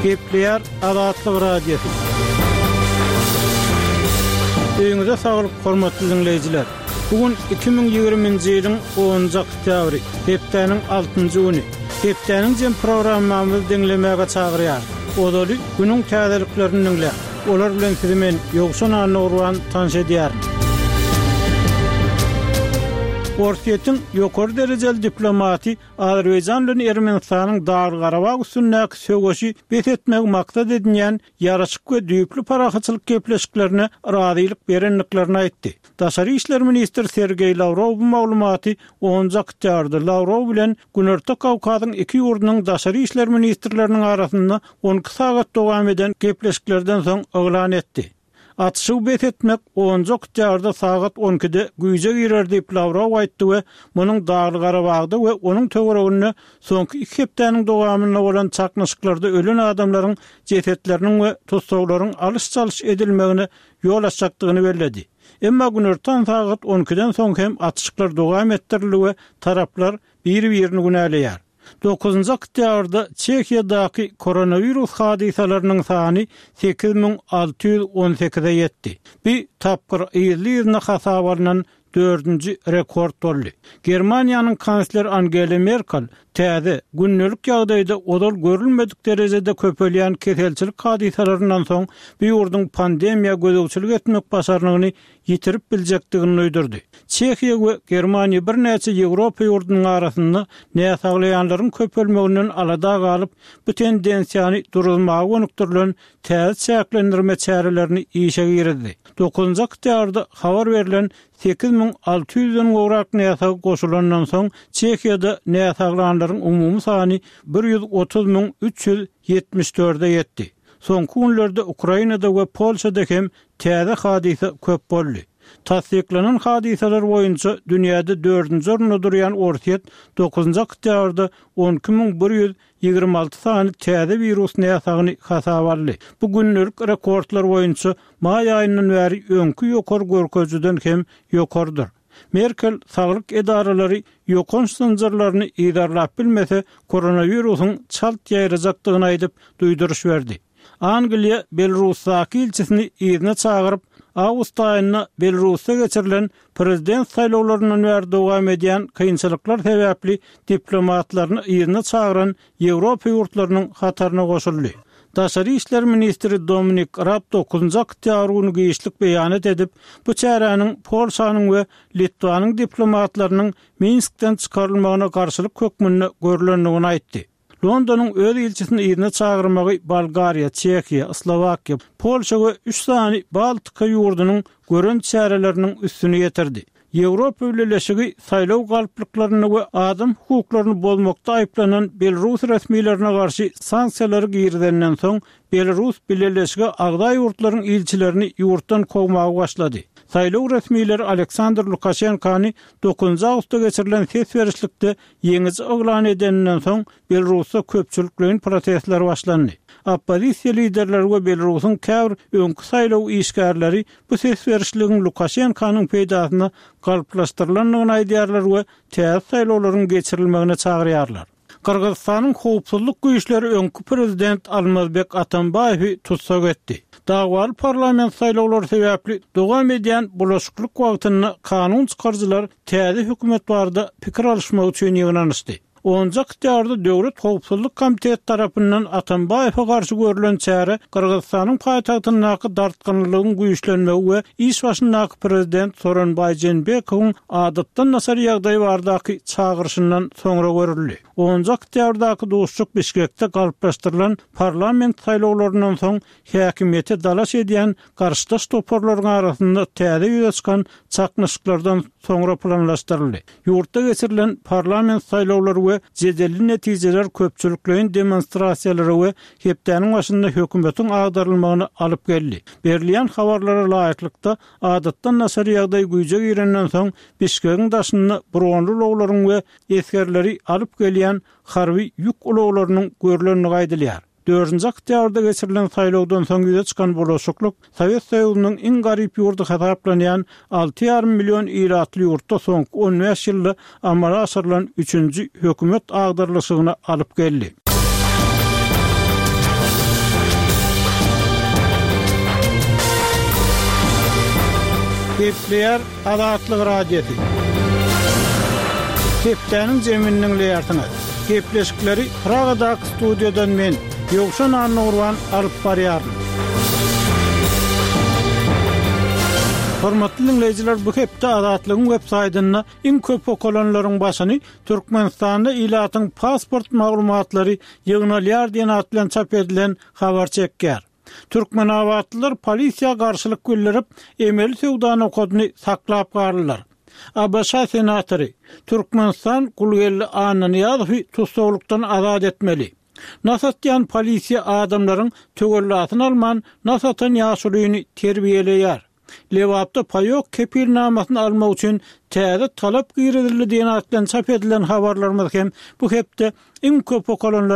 Gepleýär Azatlyk Radiosy. Öýüňize saglyk, hormatly diňleýjiler! Bu gün 2020-nji ýylyň onunjy oktýabry, hepdäniň altynjy güni. Hepdäniň jem programmamyzy diňlemäge çagyrýarys. Ozaly günüň täzeliklerini diňläň. Olar bilen sizi men, Ýowşan Annagurban, tanyş edýärin. Orsýetiň ýokary derejeli diplomaty Azerbaýjan bilen Ermenistanyň Dagly-Garabag üstündäki söweşi bes etmegi maksat edinýän ýaraşyk we düýpli parahatçylyk gepleşiklerine razylyk berendiklerini aýtdy. Daşary işler ministri Sergeý Lawrow bu maglumaty onunjy oktýabrda Lawrow bilen Günorta Kawkazyň iki ýurdunyň daşary işler ministrleriniň arasynda 12 sagat dowam eden gepleşiklerden soň yglan etdi. Atyşygy bes etmek onunjy oktýabrda sagat on ikide güýje girer diýip Lawrow aýtdy we munuň Dagly-Garabagda we onuň töwereginde soňky iki hepdäniň dowamynda bolan çaknyşyklarda ölen adamlaryň jesetleriniň we tussaglaryň alyş-çalyş edilmegine ýol açjakdygyny belledi. Emma günortan sagat on ikiden soň hem atyşyklar dowam etdirildi we taraplar biri-birini günäleýär. Dokuzynjy oktýabrda Çehiýadaky koronawirus hadysalarynyň sany 8618-e ýetdi. Bu tapgyr yzly-yzyna hasaba alnan dördünji rekord boldy. Germaniýanyň kansleri Angela Merkel täze, gündelik ýagdaýda ozal görülmedik derejede köpelýän keselçilik hadysalaryndan soň bu ýurduň pandemiýa gözegçilik etmek başarnygyny ýitirip biljekdigini duýdurdy. Çehiýa we Germaniýa birnäçe Ýewropa ýurdunyň arasynda näsaglaýanlaryň köpelmeginden alada galyp, bu tendensiýany duruzmaga gönükdirilen täze çäklendirme çärelerini işe girizdi. Dokuzynjy oktýabrda habar berlen 8600-den gowrak näsag goşulandan soň, Çehiýada näsaglanlaryň umumy sany 130 374-e ýetdi. Soňky günlerde Ukrainada we Polşada hem täze hadysa köp boldy. Tassyklanan hadysalar boýunça dünýäde dördünji orunda durýan Orsýet dokuzynjy oktýabrda 12 126 sany täze wirus näsagyny hasaba aldy. Bu gündelik rekordlar boýunça maý aýyndan bäri öňki ýokary görkezijiden hem ýokarydyr. Merkel saglyk edaralary ýokanç zynjyrlaryny yzarlap bilmese, koronawirusyň çalt ýaýrajakdygyny aýdyp, duýduryş berdi. Angliýa Belarusdaky ilçisini yzyna çagyryp, awgust aýynda Belarusda geçirilen prezident saýlawlaryndan bäri dowam edýän kynçylyklar sebäpli diplomatlaryny yzyna çagyran Ýewropa ýurtlarynyň hataryna goşuldy. Daşary işler ministri Dominik Raab dokuzynjy oktýabr güni giçlik beýanat edip, bu çäräniň Polşanyň we Litwanyň diplomatlarynyň Minskden çykarylmagyna garşylyk hökmünde görlendigini aýtdy. Londonyň öz ilçisini yzyna çagyrmagy Bolgariýa, Çehiýa, Slowakiýa, Polşa we üç sany Baltika ýurdunyň gören çäreleriniň üstüni ýetirdi. Ýewropa Bileleşigi saýlaw galplyklarynda we adam hukuklaryny bozmakda aýyplanan belarus resmilerine garşy sanksiýalary girizenden soň, Belarus Bileleşige agza ýurtlaryň ilçilerini ýurtdan kowmaga başlady. Saýlaw resmileri Aleksandr Lukaşenkany dokuzynjy awgustda geçirilen ses berişlikde Ýeňiji yglan edeninden soň, Belarusda köpçülikleýin protestler başlandy. Oppozisiýa liderleri we Belarusyň käbir öňki saýlaw işgärleri bu ses berişligiň Lukaşenkanyň peýdasyna galplaşdyrylandygyny aýdýarlar we täze saýlawlaryň geçirilmegine çagyrýarlar. Gyrgyzystanyň howpsuzlyk güýçleri öňki prezident Almazbek Atambaýewi tussag etdi. Dawaly parlament saýlawlary sebäpli dowam edýän bulaşyklyk wagtynda kanun çykaryjylar täze hökümet barada pikir alyşmak üçin ýygnanyşdy. Onunjy oktýabrda Döwlet howpsuzlyk komiteti tarapyndan Atambaýewe garşy görlen çäre Gyrgyzystanyň paýtagtyndaky dartgynlylygyň güýçlenmegi we iş başyndaky prezident Soronbaý Jeenbekowyň adatdan daşary ýagdaý baradaky çagyryşyndan soňra görüldi. Onunjy oktýabrdaky duşuşyk Bişkekde galplaşdyrylan parlament saýlawlaryndan soň häkimiýete dalaş edýän garşydaş toparlaryň arasynda täze ýüze çykan çaknyşyklardan soňra planlaşdyryldy. Ýurtda geçirilen parlament saýlawlary we jedelli netijeler köpçülikleýin demonstrasiýalara we hepdäniň başynda hökümetiň agdarylmagyna alyp geldi. Berilýän habarlara laýyklykda, adatdan daşary ýagdaý güýje girenden soň Bişkegiň daşynda bronly ulaglaryň we esgerleri alyp gelýän harby ýük ulaglarynyň görlendigi aýdylýar. Dördünji oktýabrda geçirilen saýlawdan soň ýüze çykan bulaşyklyk Sowet Soýuzynyň iň garyp ýurdy hasaplanýan alty ýarym million ilatly ýurtda soňky on bäş ýylda amala aşyrylan üçünji hökümet agdarylyşygyna alyp geldi. Gepleýär Azatlyk Radiosy. Hepdäniň jemini diňleýärsiňiz. Gepleşikleri Pragadaky studiýadan men, Ýowşan Annagurban alyp barýaryn. Hormatly diňleýjiler, bu hepde Azatlygyň web saýtynda iň köp okalanlaryň başyny Türkmenistanda ilatyň pasport maglumatlary ýygnalýar diýen at bilen çap edilen habar çekýär. Türkmenabatlylar polisiýa garşylyk bildirip, emeli söwda nokadyny saklap galdylar. ABŞ senatory, Türkmenistan Gulgeldi Annanyýazowy tussaglykdan azat etmeli. Nas atýan polisiýa adamlaryň töwellasyny alman, nas atan ýaşulyny terbiýeleýär. Lebapda paýok kepilnamasyny almak üçin täze talap girizildi diýen at bilen çap edilen habarlarymyz hem bu hepde iň köp okalanlar.